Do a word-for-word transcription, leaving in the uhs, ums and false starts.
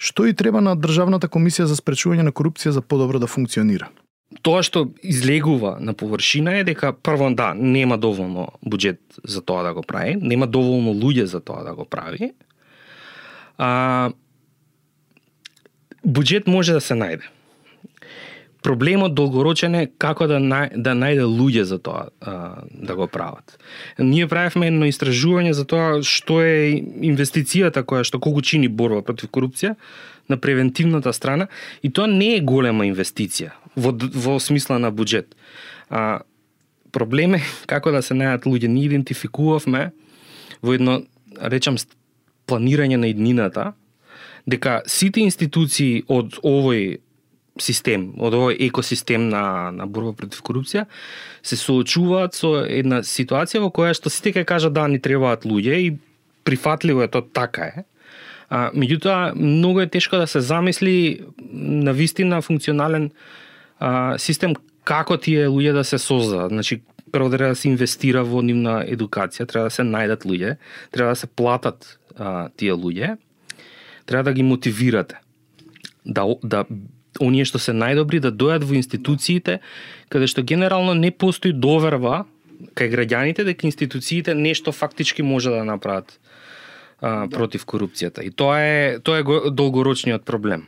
Што и треба на Државната комисија за спречување на корупција за подобро да функционира? Тоа што излегува на површина е дека прво да, нема доволно буџет за тоа да го прави, нема доволно луѓе за тоа да го прави. А, буџет може да се најде. Проблемот долгорочен е како да нај, да најде луѓе за тоа а, да го прават. Ние правевме едно истражување за тоа што е инвестицијата која што колку чини борба против корупција на превентивната страна, и тоа не е голема инвестиција во, во смисла на буџет. А, проблем е како да се најдат луѓе. Ние идентификувавме во едно, речам, планирање на иднината, дека сите институции од овој систем, од овој екосистем на, на борба против корупција, се соочуваат со една ситуација во која што сите ќе кажат да ни требаат луѓе и прифатливо е тоа, така е. А, меѓутоа, многу е тешко да се замисли на вистина функционален а, систем како тие луѓе да се создадат. Значи, прво треба да се инвестира во нивна едукација, треба да се најдат луѓе, треба да се платат а, тие луѓе, треба да ги мотивирате. Да, да оние што се најдобри да дојат во институциите, каде што генерално не постои доверба кај граѓаните дека институциите нешто фактички може да направат а, да. против корупцијата. И тоа е тоа е долгорочниот проблем.